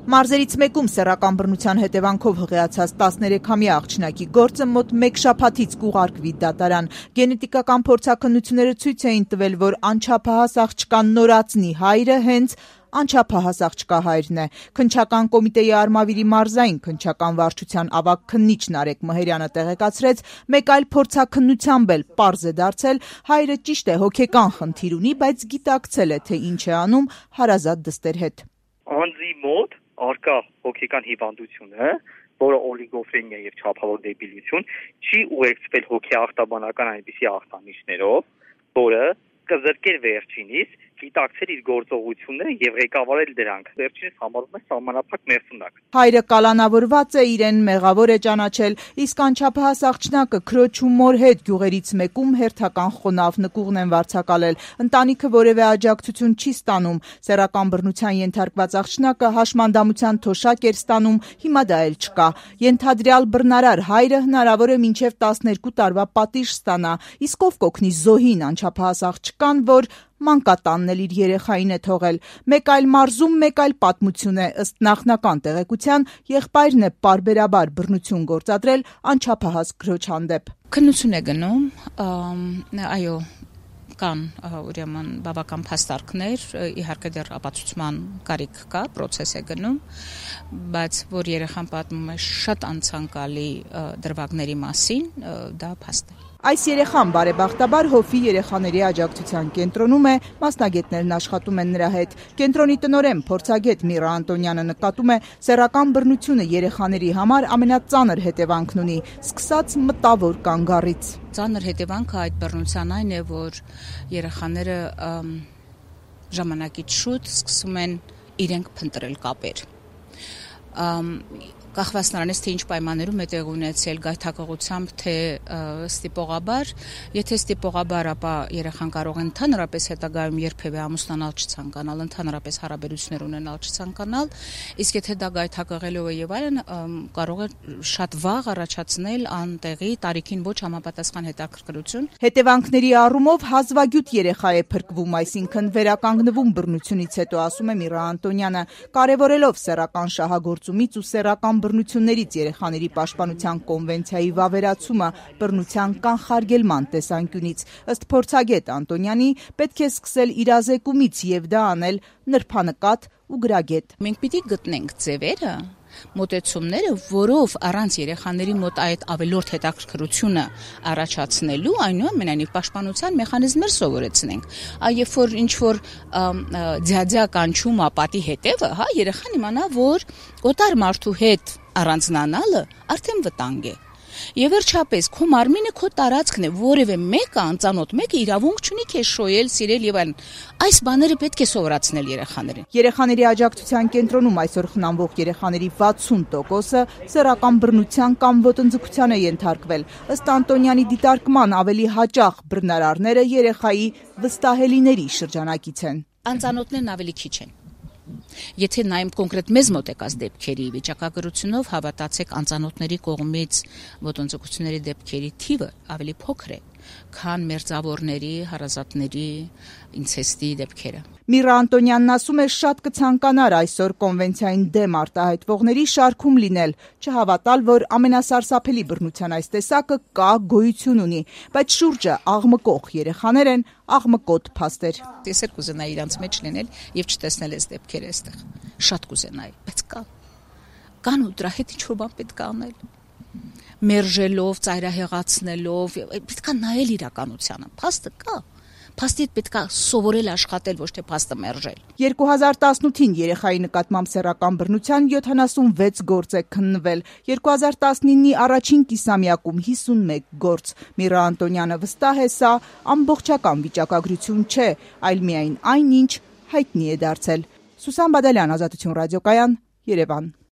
Մարզերից մեկում սեռական բռնության հետևանքով հղիացած 13-ամյա աղջնակի գործը մոտ մեկ շաբաթից կուղարկվի դատարան։ Գենետիկական փորձաքննությունները ցույց էին տվել, որ անչափահաս աղջկան նորածնի հայրը հենց անչափահաս աղջկա հայրն է։ Քննչական կոմիտեի Արմավիրի մարզային քննչական վարչության ավագ քննիչ Նարեկ Մհերյանը տեղեկացրեց, մեկ այլ փորձաքննությամբ էլ պարզ է դարձել, հայրը ճիշտ է հոգեկան խնդիր ունի, բայց գիտակցել է, թե ինչ է անում հարազատ դստեր հետ։ Անձի մոտ արկա հոգեկան հիվանդությունը, որը օլիգոֆրենիա եւ չափավոր դեբիլություն, չի ուղեկցվել հոգեախտաբանական այնպիսի ախտանիշներով, որը կզրկեր վերջինիս գիտակցել իր գործողությունները եւ ղեկավարել դրանք։ Վերջինս համարվում է սահմանափակ մերսունակ։ Հայրը կալանավորված է, իրեն մեղավոր է ճանաչել, իսկ անչափահաս աղջնակը քրոջ ու մոր հետ գյուղերից մեկում հերթական խոնավ նկուղն են վարձակալել։ Ընտանիքը որևէ աջակցություն չի ստանում։ Սեռական բռնության ենթարկված աղջնակը հաշմանդամության թոշակ էր ստանում, հիմա դա էլ չկա։ Ենթադրյալ բռնարար հայրը հնարավոր է մինչև 12 տարվա պատիժ ստանա, իսկ ով կօգնի զոհին անչափահաս աղջկան, որ մանկատանն էլ իր երեխային է թողել։ Մեկ այլ մարզում մեկ այլ պատմություն է, ըստ նախնական տեղեկության, եղբայրն է պարբերաբար բռնություն գործադրել անչափահաս քրոջ հանդեպ։ Քննություն է գնում, այո, կան ուրեմն բավական փաստարկներ, իհարկե դեռ ապացուցման կարիք կա, process է գնում, բայց որ երեխան պատմում է շատ անցանկալի դրվագների մասին, դա փաստ է։ Այս երեխան բարեբախտաբար Հովվի երեխաների աջակցության կենտրոնում է, մասնագետներն աշխատում են նրա հետ։ Կենտրոնի տնօրեն փորձագետ Միրա Անտոնյանը նկատում է, սեռական բռնությունը երեխաների համար ամենածանր հետևանքն ունի, սկսած մտավոր կանգառից։ Ծանր հետևանքը այդ բռնության այն է, որ երեխաները ժամանակից շուտ սկսում են իրենք փնտրել կապեր։ Կախված նրանից, թե ինչ պայմաններում է տեղ ունեցել, գայթակղությամբ, թե ստիպողաբար, եթե ստիպողաբար, ապա երեխան կարող է ընդհանրապես հետագայում երբևէ ամուսնանալ չցանկանալ, ընդհանրապես հարաբերություններ ունենալ չցանկանալ, իսկ եթե դա գայթակղելով է եւ այլն, կարող է շատ վաղ առաջացնել անտեղի տարիքին ոչ համապատասխան հետաքրքրություն։ Հետևանքների առումով հազվագյուտ երեխա է փրկվում, այսինքն վերականգնվում բռնությունից հետո, ասում է Միրա Անտոնյանը, կարևորելով սեռական շահագործումից ու սեռական բռնություններից երեխաների պաշտպանության կոնվենցիայի վավերացումը բռնության կանխարգելման տեսանկյունից։ Ըստ փորձագետ Անտոնյանի, պետք է սկսել իրազեկումից եւ դա անել նրբանկատ ու գրագետ։ Մենք պիտի գտնենք ձևերը, մոտեցումները, որով առանց երեխաների մոտ այդ ավելորդ հետաքրքրությունը առաջացնելու, այնուամենայնիվ պաշտպանության մեխանիզմներ սովորեցնենք։ Երբ որ ինչ որ ձյաձյա կանչում ապատի հետևը, երեխան իմանա, որ օտար մարդու հետ առանձնանալը արդեն վտանգ է։ Եվ վերջապես քո մարմինը քո տարածքն է, որևէ մեկը անծանոթ մեկը իրավունք չունի քեզ շոյել, սիրել եւ այլն։ Այս բաները պետք է սովորացնել երեխաներին։ Երեխաների աջակցության կենտրոնում այսօր խնամվող երեխաների 60%-ը սեռական բռնության կամ ոտնձգության է ենթարկվել։ Ըստ Անտոնյանի դիտարկման ավելի հաճախ բռնարարները երեխայի վստահելիների շրջանակից են։ Անծանոթներն ավելի քիչ են։ Եթե նայում կոնկրետ մեզ մոտեկած դեպքերի վիճակագրությունով, հավատացեք, անծանոթների կողմից ոտնձգությունների դեպքերի թիվը ավելի փոքր է, քան մերձավորների, հարազատների, ինցեստի դեպքերը։ Միրա Անտոնյանն ասում է, շատ կցանկանար այսօր կոնվենցիային դեմ արտահայտվողների շարքում լինել, չհավատալ, որ ամենասարսափելի բռնության այս տեսակը կա, գոյություն ունի, բայց շուրջը աղմկող երեխաներ են, աղմկոտ փաստեր։ Ես էլ կուզենայի իրանց մեջ լինել եւ չտեսնել այս դեպքերը այստեղ։ Շատ կուզենայի, բայց կան ու դրա հետ ինչ-որ բան պետք է անել։ Մերժելով, ծայրահեղացնելով, պետք է նայել իրականությանը։ Փաստը կա։ Փաստի հետ պետք է սովորել աշխատել, ոչ թե փաստը մերժել։ 2018-ին երեխայի նկատմամբ սեռական բռնության 76 գործ է քննվել, 2019-ի առաջին կիսամյակում 51 գործ։ Միրա Անտոնյանը վստահ է, սա ամբողջական վիճակագրություն չէ, այլ միայն այն, ինչ հայտնի է դարձել։ Սուսան Բադալյան, Ազատություն ռադիոկայան, Երևան։